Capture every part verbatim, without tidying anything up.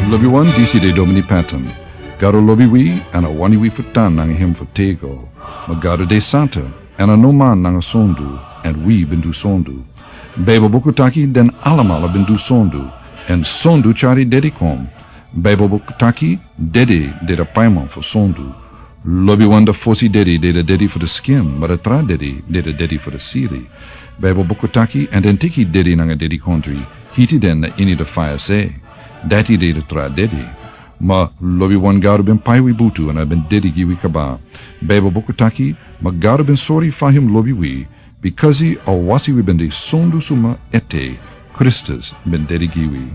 Lobiwan, disi de Domini Patton. Gado lobi wi, èn a wani wi fu tan nanga hem fu tego. Ma Gado de santa, èn a no man nanga sondu, èn wi ben du sondu. Baibel buku taki den alamala ben du sondu, èn sondu tyari dedi kon. Baibel buku taki dedi de a paiman fu sondu. Lobiwan, a fosi dedi de a dedi fu a skin, ma a tra dedi de a dedi fu a siri. Baibel buku taki, èn den teki dedi nanga dedikondri, hiti den na ini a faya se. Dati de a tra dedi. Ma lobiwan, Gado ben pai wi butu èn a ben dedi gi wi kaba. Baibel buku taki, ma Gado ben sori fa hem lobi wi, bikasi a wasi wi ben de sondu suma ete, Kristus ben dedi gi wi.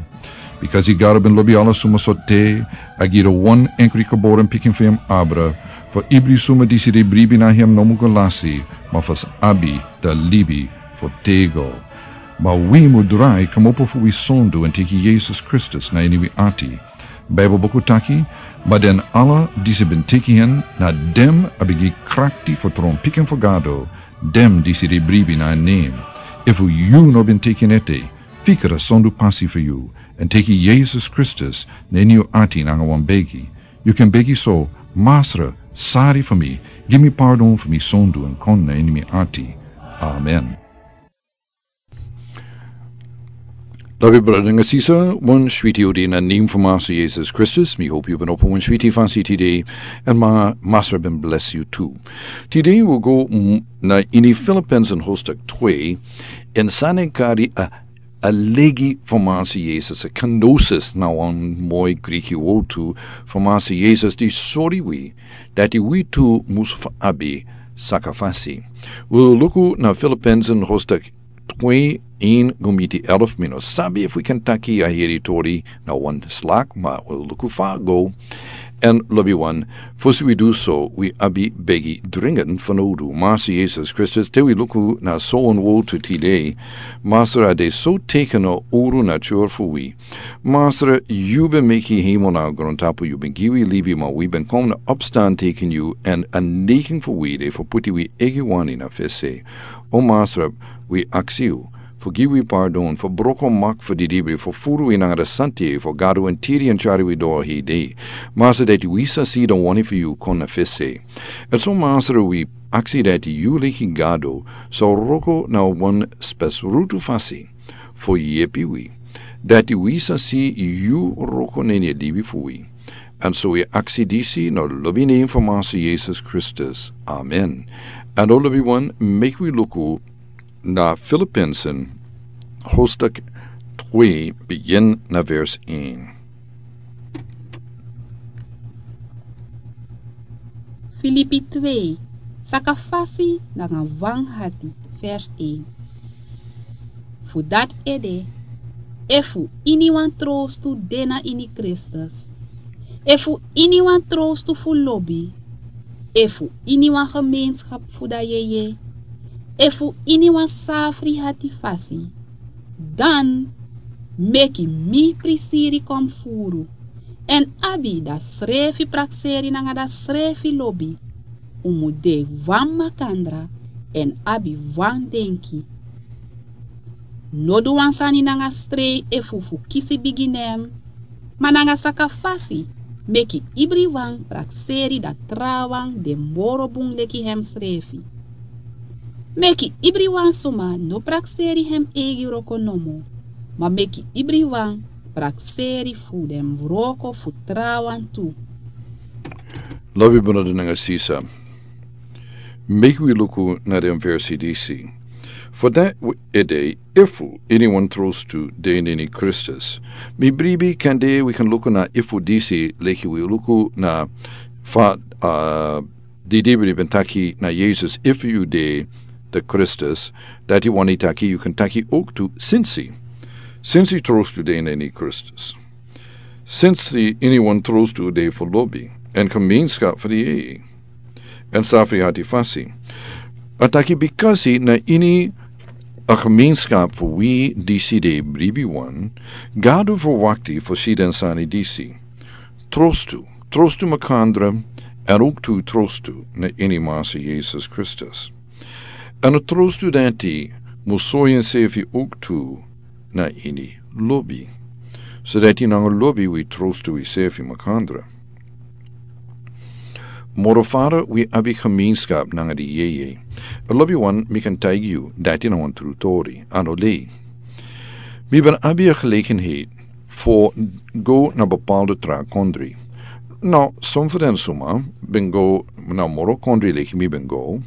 Bikasi Gado ben lobi ala suma so te, a gi a wan enkri geboren pikin fu hem abra, fu ibri suma disi de bribi na hem no mu go lasi, ma fu abi a libi fu tego. Ma wi mu drai kmopo fu wi sondu èn teki Yesus Kristus na ini wi ati. Baibel buku taki, ma den ala disi ben teki hem, na den a ben gi krakti fu tron pikin fu Gado, den disi de bribi na en nen. Efu yu no ben teki en ete, fika a sondu pasi fu yu, èn teki Yesus Kristus na ini yu ati nanga wan begi. Yu kan begi so: Masra, sori fu mi, gi mi pardon fu mi sondu èn kon na ini mi ati. Amen. Lobi brada nanga sisa, wan switi odi na nen fu Masra Yesus Kristus. Mi hopi yu ben opo wan switi fasi tide, èn ma Masra ben blesi yu tu. Tide wi go, mm, na ini Filippenzen hoofdstuk twee, èn sani kari a, a legi fu Masra Yesus, a kenosis na wan moi Griki wortu fu Masra Yesus di sori wi dati wi tu mus fu abi sakafasi. Wi luku na Filippenzen hoofdstuk twee, een go miti elf. Mi no sabi efu wi kan taki a heri tori na wan slak, ma wi luku fa a go. Èn lobiwan, fosi wi du so, wi abi begi dringend fanowdu. Masra Yesus Kristus, te wi luku na so wan wortu tide, Masra, a de so teken na uru na tyari fu wi. Masra, yu ben meki hemel nanga grontapu, yu ben gi wi libi, ma wi ben kon na opstan teken yu, èn a neiging fu wi de fu puti wi eigi wani na fesi. O Masra, wi aksi yu fu gi wi pardon, fu broko mak fu didibri, fu furu wi nanga a sante fu Gado èn tiri èn tyari wi doro hei dei. Masra, dati wi sa si a wani fu yu kon na fesi. Èn so Masra, wi aksi dati yu leki Gado sa wroko na wan spesrutu fasi fu yepi wi, dati wi sa si yu wroko na ini a libi fu wi. Èn so wi aksi disi na lobi nen fu Masra Yesus Kristus. Amen. Èn o lobiwan, meki wi luku na Filippenzen hoofdstuk twee, begin na vers een. Filipi twee, sakafasi nanga wan hati, vers een. Fu dati ede, efu iniwan trostu de na ini Kristus, efu iniwan trostu fu lobi, efu iniwan gemeenskap fu a yeye, efu iniwan safri hati fasi, dan meki mi prisiri kon furu, èn abi a srefi prakseri nanga a srefi lobi. Un mu de wan makandra èn abi wan denki. No du wan sani nanga strei efu fu kisi bigi nen, ma nanga sakafasi meki ibriwan prakseri a trawan de moro bun leki hemsrefi. Meki ibriwan suma no prakseri hem eigi wroko nomo, ma meki ibriwan prakseri fu den wroko fu trawan tu. Lobi brada nanga sisa, meki wi luku na den versi disi. Fu dati ede, efu iniwan trostu de na ini Kristus. Mi bribi kande wi kan luku na efu disi leki wi luku na fa, a, didibri ben taki na Yesus, efu yu de na Kristus, dati wani taki yu kan taki owktu sensi. Sensi trostu de na ini Kristus. Sensi iniwan trostu de fu lobi, èn gemeenskap fu a yeye, èn safri hati fasi. A taki bikasi na ini a gemeenskap fu wi disi de bribiwan, Gado verwakti fu si den sani disi. Trostu, trostu makandra, èn owktu trostu na ini Masra Yesus Kristus. Èn a trostu dati mu sori ensefi owktu na ini lobi. So dati nanga lobi wi trostu wi sefi makandra. Moro fara wi abi gemeenskap nanga di yeye. A lobi wan mi kan taigi yu dati na wan tru tori ano lei. Mi ben abi a gelegenheid fu go na bepaalde tra kondri. No, som fu den suma ben go na moro kondri leki mi ben go.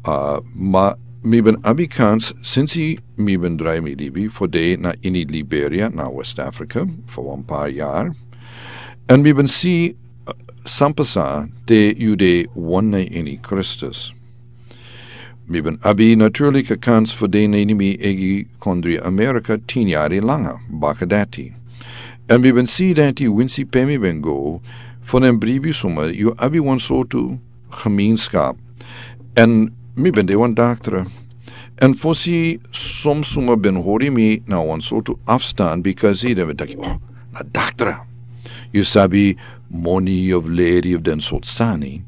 Uh, ma mi ben abi kans sinsi mi ben drai mi libi fu de na ini Liberia na West Africa fu wan par yar. En mi ben si uh, san pasa te yu de wan na ini Kristus. Mi ben abi naturlik a kans fu de na ini mi egi kondri Amerika tin yari langa baka dati. En mi ben si dati winsi pe mi ben go fu den bribi suma yu abi wan sortu gemeenskap. En mi ben de wan daktra. En fosi som suma ben hori mi na wan sortu afstand because i den ben taki, oh, na daktra. Yu sabi moni of leri of den sortu sani.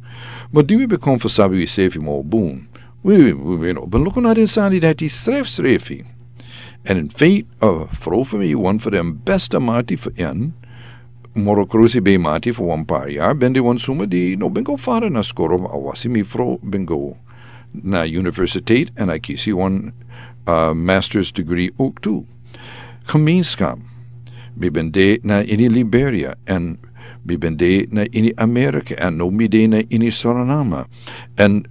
Ma di wi ben kon fu sabi wi sefi mo bun. Wi wi wi wi no ben luku na den sani dati sref srefi. En in feit a fro fu mi wan fu den beste mati fu en. Moro krusi ben mati fu wan par yar ben de wan suma di no ben go fara na skoro a wasi mi fro ben go na universiteit en a kisi wan uh, master's degree ook tu. Gemeenskap. Mi ben de na ini Liberia en mi ben de na ini Amerika en no mi de na ini Suriname. En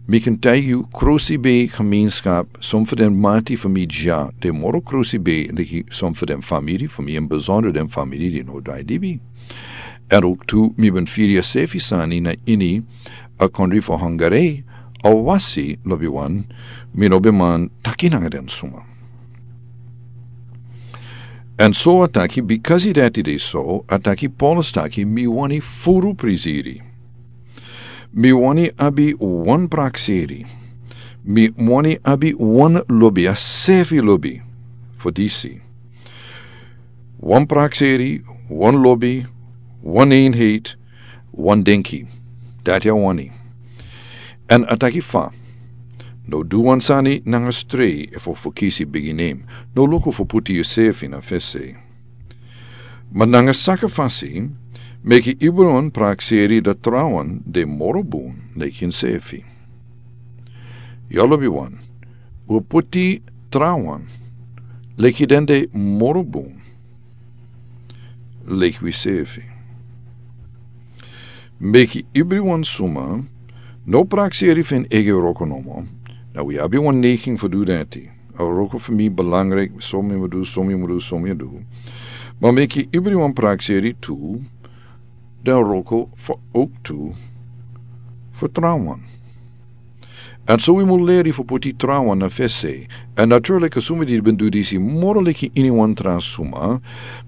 mi kan taigi yu krusi ben gemeenskap som fu den mati fu mi dya de moro krusi ben leki som fu den famiri fu mi en besonder den famiri di no dai dibi. En ook tu mi ben firi a sefi sani na ini a kondri fu Hungary a wasi lobi wan mi no ben man taki nanga den suma. En so a taki bikasi dati de so a taki Paulus taki mi wani furu prisiri. Mi wani abi wan prakseri. Mi wani abi wan lobi a sefi lobi. Fu disi wan prakseri, wan lobi, wan eenheid, wan denki. Dati a wani. En a taki fa no du wan sani nanga strei efu fu kisi bigi nem. No luku fu puti yusefi na fesi. Ma nanga saka fasi meki ibri wan prakseri dati trawan de moro bun leki insefi. Yu lobi wan wi puti trawan leki den de moro bun leki wisefi. Meki ibri wan suma no prakseri fu en egi wroko nomo. Na wi abi wan neiging fu du dati. A wroko fu mi belangrijk so mi mu du so mi mu du so mi du. Ma meki ibri wan prakseri tu den wroko fu ook tu fu trawan. En so wi mu leri fu puti trawan na fesi. En naturlik a suma di ben du disi moro leki ini wan tra suma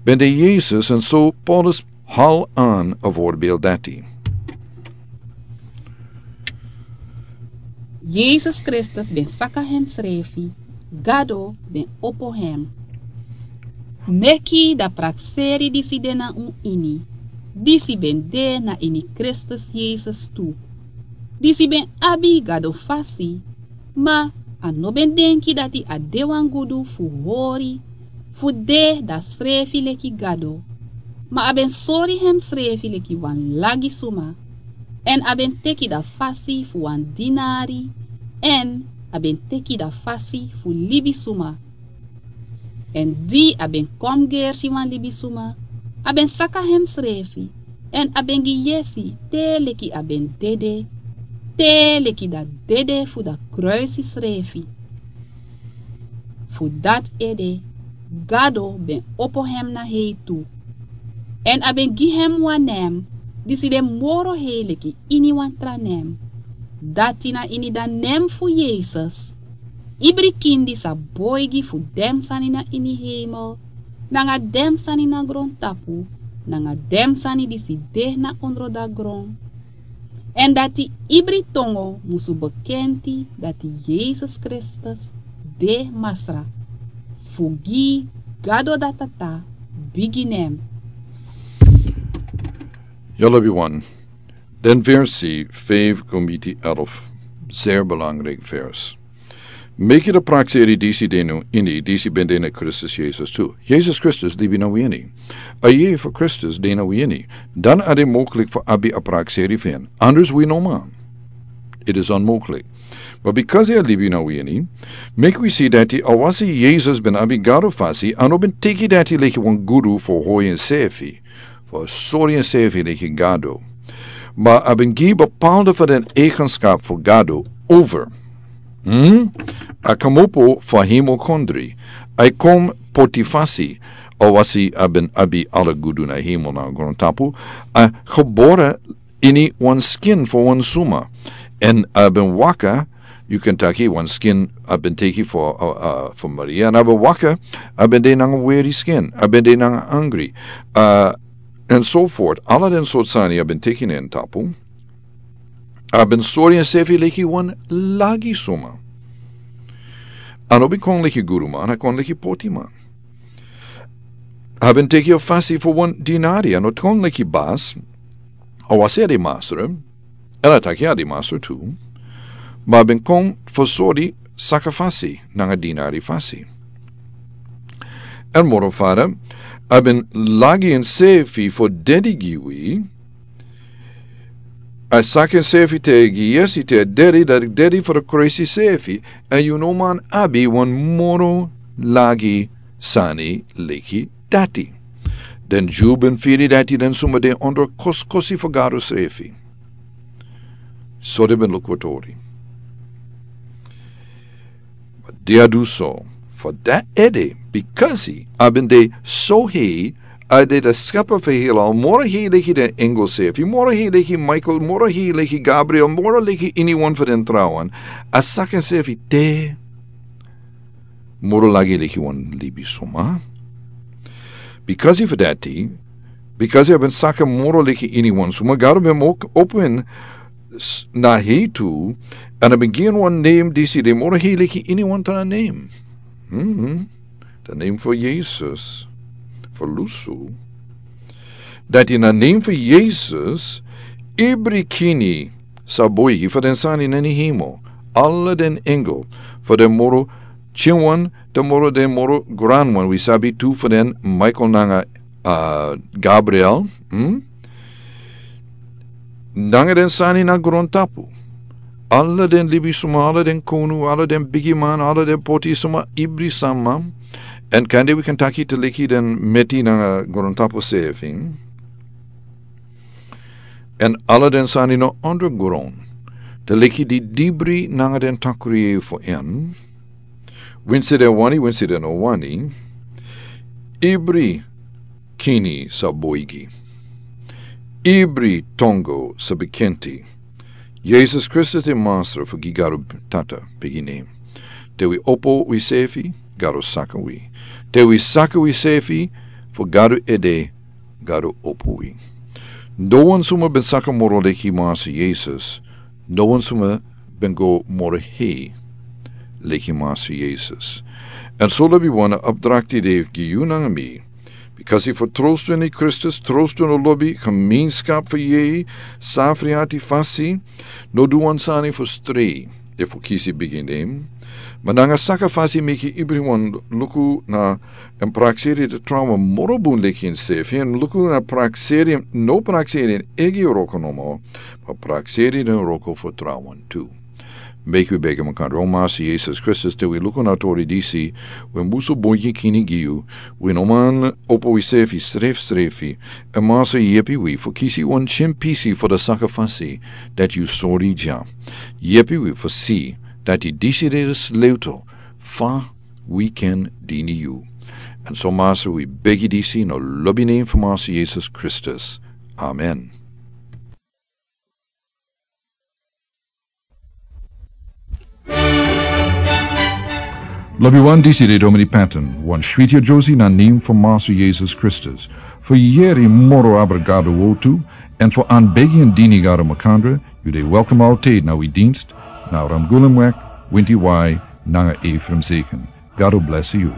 ben de Yesus en so Paulus hal an a voorbeeld dati. Yesus Kristus ben saka hemsrefi. Gado ben opo hem. Meki dan prakseri disi de na un ini. Disi ben de na ini Kristus Yesus tu. Disi ben abi Gado fasi. Ma a no ben denki dati a de wan gudu fu hori fu de dan srefi leki Gado. Ma a ben sori hemsrefi leki wan lagi suma. En a ben teki dan fasi fu wan dinari. En a ben teki dan fasi fu libi suma. En di a ben kon gersi wan libisuma, a ben saka hemsrefi, en a ben gi yesi te leki a ben dede, te leki dan dede fu dan kruisi srefi. Fu dati ede, Gado ben opo hem na hei tu. En a ben gi hem wan nen disi de moro hei leki ini wan tra nen. Dati na ini dan nen fu Yesus, ibri kindi sa boigi fu den sani na ini heimel, nanga den sani na grontapu, nanga den sani disi de na ondro dan gron. En dati ibri tongo musu bekenti dati Yesus Kristus de Masra, fu gi Gado dan Tata bigi nen. Yu lobi wan. Den versi vijf komiti elf, zeer belangrijk vers. Meki a prakseri disi de na ini, disi ben de na Kristus Yesus tu. Yesus Kristus libi na ini. A yeye fu Kristus de na ini. Dan a de moklik fu abi a prakseri fu en. Anders wi no man. It is onmoklik. But because a libi na ini, meki wi si dati awasi Yesus ben abi Gado fasi, a no ben teki dati leki wan gudu fu hoi ensefi, fu sori ensefi leki Gado. Ma a ben gi bepaalde fu den eigenskap fu Gado over. Hmm? A komopo fu hemel kondre. A kon poti fasi, awasi a ben abi ala gudu na hemel na grontapu. A gebore ini wan skin fu wan suma. En a ben waka, yu kan taki wan skin a ben teki fu, uh, uh, fu Maria. En a ben waka, a ben de nanga weri skin, a ben de nanga angri. Uh, and so forth. Ala den sort sani a ben teki na en tapu. A ben sori ensefi leki wan lagi suma. A no ben kon leki guduman, a kon leki potiman. A ben teki a fasi fu wan dinari, a no kon leki bas, awasi a de masra, en a taki a de masra tu, ma a ben kon fu sori saka fasi, nanga dinari fasi. En moro fara, a ben lagi ensefi fu dedi gi wi, a saka ensefi te gi yesi te dedi, dati dedi fu a kresi sefi, en yu no man abi wan moro lagi sani leki dati. Den Ju ben firi dati den suma de ondro koskosi fu Gado sefi. So den ben luku a tori. Dia du so, fu dati ede, bikasi a ben de so hei, a de a skapa fu heilal, moro hei leki den engel sefi, moro hei leki Michael, moro hei leki Gabriel, moro leki iniwan fu den trawan, a saka ensefi te moro lagi leki wan libisuma. Bikasi fu dati, bikasi a ben saka moro leki iniwan suma, Gado ben meki opo en na hei tu, en a ben gi en wan nem disi de moro hei leki iniwan tra nem. Mhm. A nem fu Yesus, fu lusu. Dati na nem fu Yesus, ibri kini sa boigi fu den sani na ini hemel, ala den engel, fu den moro pikinwan, te moro den moro granwan, wi sabi tu fu den Michael nanga, uh, Gabriel, hmm? Nanga den sani na grontapu. Ala den libisuma, ala den konu, ala den bigiman, ala den potisuma, ibri sama. En kande wi kan taki te leki den meti nanga grontapu sefi. En ala den sani na ondergron. Te leki di dibri nanga den takri fu en. Winsi den wani, winsi den no wani. Ibri kini sa boigi. Ibri tongo sa bekenti. Yesus Kristus de Masra fu gi Gado Tata bigi nem. Te wi opo wi sefi, Gado saka wi. Te wi saka wi sefi, fu Gado ede, Gado opo wi. No wan suma ben saka moro leki Masra Yesus, no wan suma ben go moro hei leki Masra Yesus. En so lobi wan, a opdrakti de gi yu nanga mi. Bikasi fu trostu ini Kristus, trostu no lobi, gemeenskap fu yeye, safri ati fasi, no du wan sani fu strei, efu kisi bigi nem. Ma nanga saka fasi meki ibriwan luku na en prakseri den trawan moro bun leki ensefi, en luku na prakseri, no prakseri en eigi wroko nomo, ma prakseri den wroko fu trawan tu. Meki wi begi makandra. O Masra Yesus Kristus, te wi luku na tori disi, wi musu boigi kini gi yu, wi no man opo wi sefi srefsrefi, en Masra yepi wi fu kisi wan pikin pisi fu den saka fasi, dati yu sori dya. Yepi wi fu si, dati disi de den sleutel, fa wi kan dini yu. En so Masra wi begi disi na lobi nem fu Masra Yesus Kristus. Amen. Lobi wan, disi de Domini Patton, wan switi a Josie na nem fu Masra Yesus Kristus. Fu yeri moro abra Gado wotu, en fu anbegi en dini Gado makandra, yu de welkom altijd na wi dienst, na Ramgulumweg, winti wai, nanga Ephraim Zeken. Gado bless yu.